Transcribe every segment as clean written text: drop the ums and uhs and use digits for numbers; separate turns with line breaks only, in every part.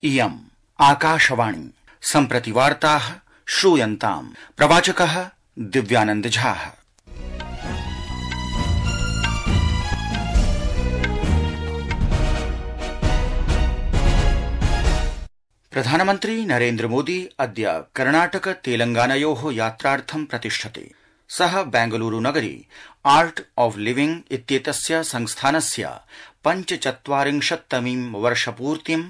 इयम् आकाशवाणी सम्प्रति वार्ताः श्रूयन्ताम्। प्रवाचकः दिव्यानंद झाः। प्रधानमन्त्री नरेन्द्र मोदी अद्य कर्णाटक तेलंगानयोः यात्रार्थं प्रतिष्ठते। सः बेंगलुरु नगरे आर्ट ऑफ लिविंग इत्येतस्य संस्थानस्य 45तमीं वर्षपूर्तिम्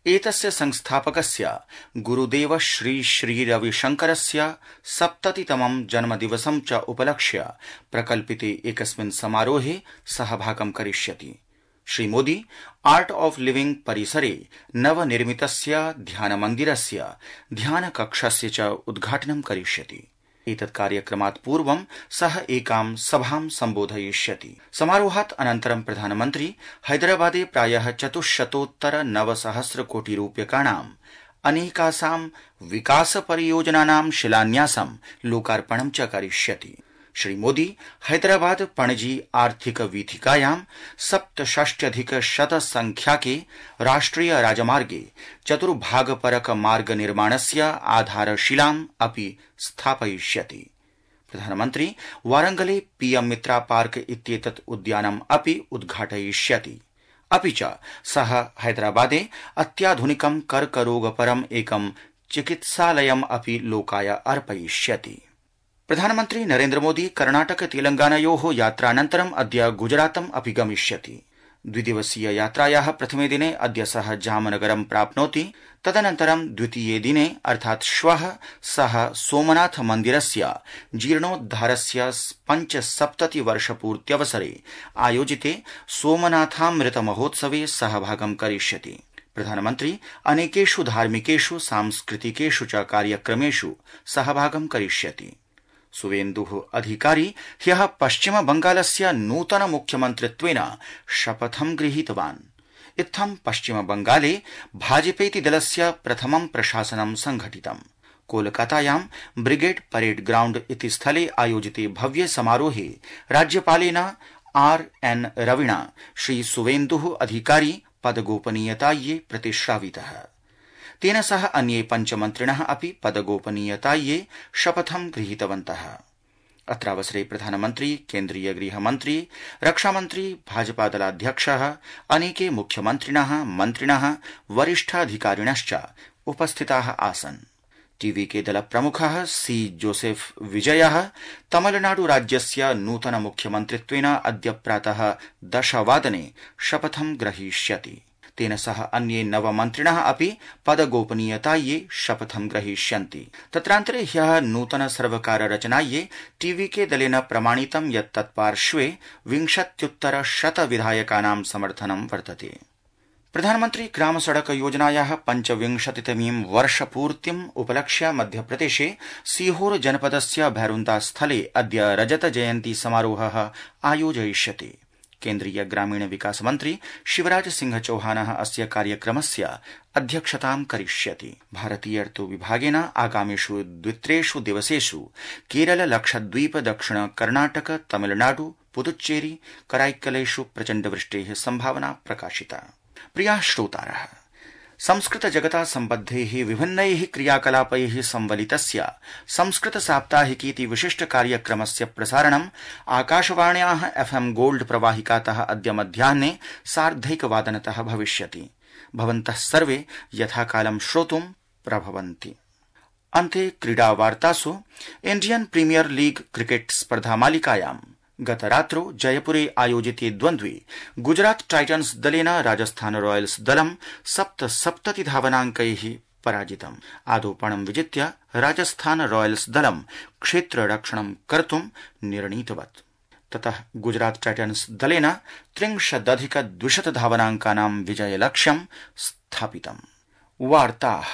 एतस्य संस्थापकस्य गुरुदेव श्री रविशंकरस्य 70तमं जन्मदिवसं च उपलक्ष्य प्रकल्पिते एकस्मिन् समारोहे सहभागं करिष्यति। Shri Modi art of living परिसरे नवनिर्मितस्य ध्यानमन्दिरस्य ध्यानकक्षस्य च उद्घाटनं करिष्यति। एतत् कार्यक्रमात् पूर्वं सः एकां सभां सम्बोधयिष्यति। समारोहात् अनन्तरं प्रधानमन्त्री हैदराबादे प्रायः 400-900 कोटि रूप्यकाणाम् अनेकासां विकास परियोजनानां शिलान्यासं लोकार्पणं च करिष्यति। श्री मोदी हैदराबाद पणजी आर्थिक वीथिकायां 67,100 संख्याके राष्ट्रिय राजमार्गे चतुर्भागपरक मार्ग निर्माणस्य आधारशिलाम् अपि स्थापयिष्यति। प्रधानमन्त्री वारंगले पीएम मित्रा पार्क इत्येतत् उद्यानम् अपि उद्घाटयिष्यति। अपि च सः हैदराबादे अत्याधुनिकं कर्करोगपरम् एकं चिकित्सालयम् अपि लोकाय अर्पयिष्यति। प्रधानमन्त्री नरेन्द्र मोदी कर्णाटक तेलंगानयोः यात्रानन्तरम् अद्य गुजरातम् अपि गमिष्यति। द्विदिवसीय यात्रायाः प्रथमे दिने अद्य सः जामनगरं प्राप्नोति। तदनन्तरं द्वितीये दिने अर्थात् श्वः सः सोमनाथ मन्दिरस्य जीर्णोद्धारस्य 75 वर्षपूर्त्यवसरे आयोजिते सोमनाथामृत महोत्सवे सहभागं करिष्यति। प्रधानमन्त्री अनेकेषु धार्मिकेषु सांस्कृतिकेषु च कार्यक्रमेषु सहभागं करिष्यति। सुवेन्दुः अधिकारी ह्यः पश्चिम बंगालस्य नूतन मुख्यमन्त्रित्वेन शपथं गृहीतवान्। इत्थं पश्चिम बंगाले भाजपेति दलस्य प्रथमं प्रशासनं संघटितम्। कोलकातायां ब्रिगेड परेड ग्राउण्ड इति स्थले आयोजिते भव्य समारोहे राज्यपालेन आर.एन. रविणा श्री सुवेन्दुः अधिकारी पदगोपनीयतायै प्रतिश्रावितः। तेन सह अन्ये 5 मन्त्रिणः अपि पदगोपनीयतायै शपथं गृहीतवन्तः। अत्रावसरे प्रधानमन्त्री, केन्द्रीय गृहमन्त्री, रक्षामन्त्री, भाजपादलाध्यक्षः, अनेके मुख्यमन्त्रिणः, मन्त्रिणः, वरिष्ठाधिकारिणश्च उपस्थिताः आसन्। टीवीके दलप्रमुखः सी जोसेफ विजयः तमिलनाडु राज्यस्य नूतन मुख्यमन्त्रित्वेन अद्य प्रातः 10 वादने शपथं ग्रहीष्यति। तेन सह अन्ये 9 मन्त्रिणः अपि पदगोपनीयतायै शपथं ग्रहीष्यन्ति। तत्रान्तरे ह्यः नूतन सर्वकार रचनायै टीवीके दलेन प्रमाणितं यत् तत्पार्श्वे 20-100 विधायकानां समर्थनं वर्तते। प्रधानमन्त्री ग्राम सड़क योजनायाः 25तमीं वर्षपूर्तिम् उपलक्ष्य मध्यप्रदेशे सीहोर जनपदस्य भैरुन्दा स्थले अद्य रजत जयन्ती समारोहः आयोजयिष्यते। केन्द्रीय ग्रामीण विकास मन्त्री शिवराज सिंह चौहानः अस्य कार्यक्रमस्य अध्यक्षतां करिष्यति। भारतीय ऋतु विभागेन आगामिषु 2-3 दिवसेषु केरल, लक्षद्वीप, दक्षिण कर्णाटक, तमिलनाडु, पुदुच्चेरी, कराईक्कलेषु प्रचण्डवृष्टेः संभावना प्रकाशिता। प्रियाः श्रोतारः, संस्कृत जगता सम्बद्धैः विभिन्नैः क्रियाकलापैः संवलितस्य संस्कृत साप्ताहिकीति विशिष्ट कार्यक्रमस्य प्रसारणम् आकाशवाण्याः FM गोल्ड प्रवाहिकातः अद्य मध्याह्ने 1:30 भविष्यति। भवन्तः सर्वे यथाकालं श्रोतुं प्रभवन्ति। अन्ते क्रीडावार्तासु इण्डियन प्रीमियर लीग क्रिकेट स्पर्धामालिकायां गतरात्रौ जयपुरे आयोजिते द्वन्द्वे गुजरात टाइटन्स दलेन राजस्थान रॉयल्स दलं 77 धावनाङ्कैः पराजितम्। आदौपणं विजित्य राजस्थान रॉयल्स दलं क्षेत्ररक्षणं कर्तुं निर्णीतवत्। ततः गुजरात टाइटन्स दलेन 63,200 धावनाङ्कानां विजयलक्ष्यं स्थापितम्। वार्ताः